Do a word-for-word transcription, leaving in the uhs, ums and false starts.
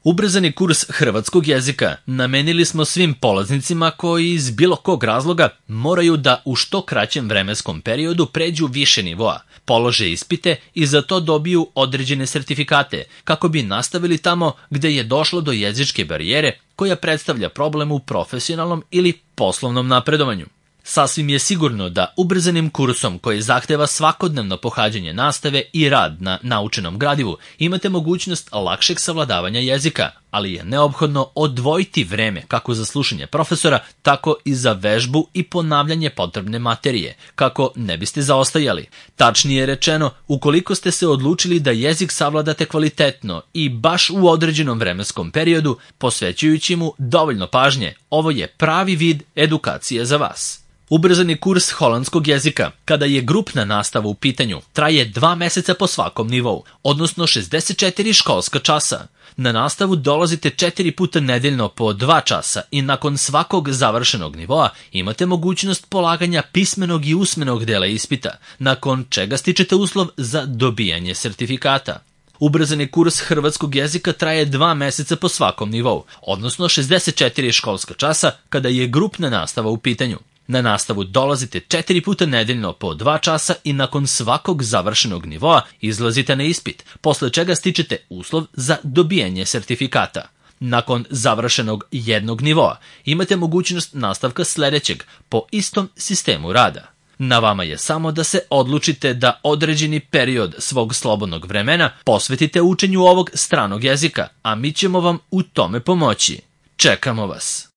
Ubrzani kurs hrvatskog jezika namenili smo svim polaznicima koji iz bilo kog razloga moraju da u što kraćem vremenskom periodu pređu više nivoa, polože ispite i za to dobiju određene sertifikate, kako bi nastavili tamo gde je došlo do jezičke barijere koja predstavlja problem u profesionalnom ili poslovnom napredovanju. Sasvim je sigurno da ubrzanim kursom koji zahteva svakodnevno pohađanje nastave i rad na naučenom gradivu imate mogućnost lakšeg savladavanja jezika, ali je neophodno odvojiti vreme kako za slušanje profesora, tako i za vežbu i ponavljanje potrebne materije, kako ne biste zaostajali. Tačnije rečeno, ukoliko ste se odlučili da jezik savladate kvalitetno i baš u određenom vremenskom periodu, posvećujući mu dovoljno pažnje, ovo je pravi vid edukacije za vas. Ubrzani kurs holandskog jezika, kada je grupna nastava u pitanju, traje dva meseca po svakom nivou, odnosno šezdeset četiri školska časa. Na nastavu dolazite četiri puta nedeljno po dva časa i nakon svakog završenog nivoa imate mogućnost polaganja pismenog i usmenog dela ispita, nakon čega stičete uslov za dobijanje sertifikata. Ubrzani kurs hrvatskog jezika traje dva meseca po svakom nivou, odnosno šezdeset četiri školska časa kada je grupna nastava u pitanju. Na nastavu dolazite četiri puta nedeljno po dva časa i nakon svakog završenog nivoa izlazite na ispit, posle čega stičete uslov za dobijanje sertifikata. Nakon završenog jednog nivoa imate mogućnost nastavka sledećeg po istom sistemu rada. Na vama je samo da se odlučite da određeni period svog slobodnog vremena posvetite učenju ovog stranog jezika, a mi ćemo vam u tome pomoći. Čekamo vas!